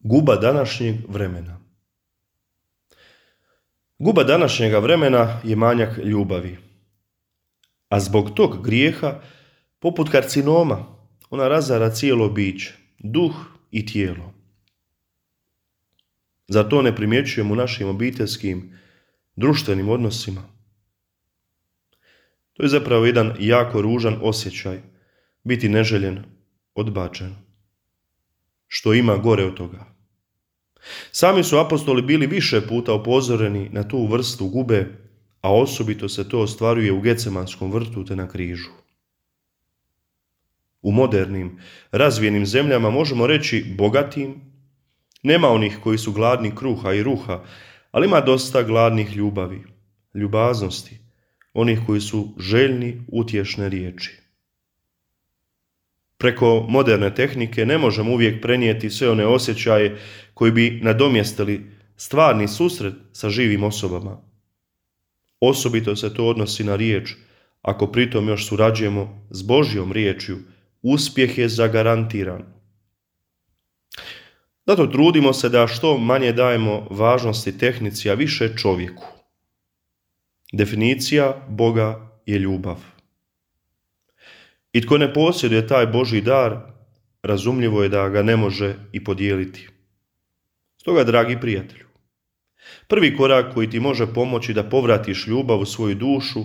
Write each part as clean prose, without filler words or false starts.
Guba današnjeg vremena. Guba današnjega vremena je manjak ljubavi. A zbog tog grijeha, poput karcinoma, ona razara cijelo biće, duh i tijelo. Zar to ne primjećujemo u našim obiteljskim, društvenim odnosima? To je zapravo jedan jako ružan osjećaj, biti neželjen, odbačen. Što ima gore od toga? Sami su apostoli bili više puta upozoreni na tu vrstu gube, a osobito se to ostvaruje u Gecemanskom vrtu te na križu. U modernim, razvijenim zemljama, možemo reći bogatim, nema onih koji su gladni kruha i ruha, ali ima dosta gladnih ljubavi, ljubaznosti, onih koji su željni utješne riječi. Preko moderne tehnike ne možemo uvijek prenijeti sve one osjećaje koji bi nadomjestili stvarni susret sa živim osobama. Osobito se to odnosi na riječ, ako pritom još surađujemo s Božjom riječju, uspjeh je zagarantiran. Zato trudimo se da što manje dajemo važnosti tehnici, a više čovjeku. Definicija Boga je ljubav. I tko ne posjeduje taj Božji dar, razumljivo je da ga ne može i podijeliti. Stoga, dragi prijatelju, prvi korak koji ti može pomoći da povratiš ljubav u svoju dušu,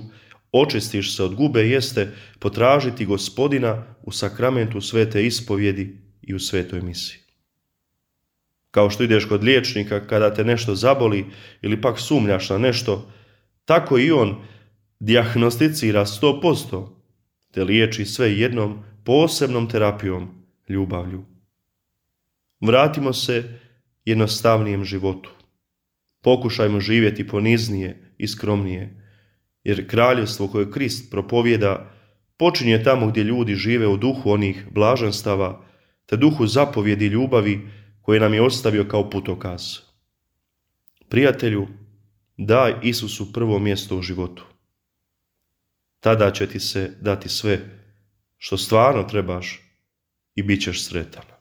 očistiš se od gube, jeste potražiti Gospodina u sakramentu svete ispovjedi i u svetoj misi. Kao što ideš kod liječnika kada te nešto zaboli ili pak sumnjaš na nešto, tako i on dijagnosticira 100%, te liječi sve jednom posebnom terapijom, ljubavlju. Vratimo se jednostavnijem životu. Pokušajmo živjeti poniznije i skromnije, jer kraljevstvo koje Krist propovjeda počinje tamo gdje ljudi žive u duhu onih blaženstava, te duhu zapovjedi ljubavi koje nam je ostavio kao putokaz. Prijatelju, daj Isusu prvo mjesto u životu. Tada će ti se dati sve što stvarno trebaš i bit ćeš sretan.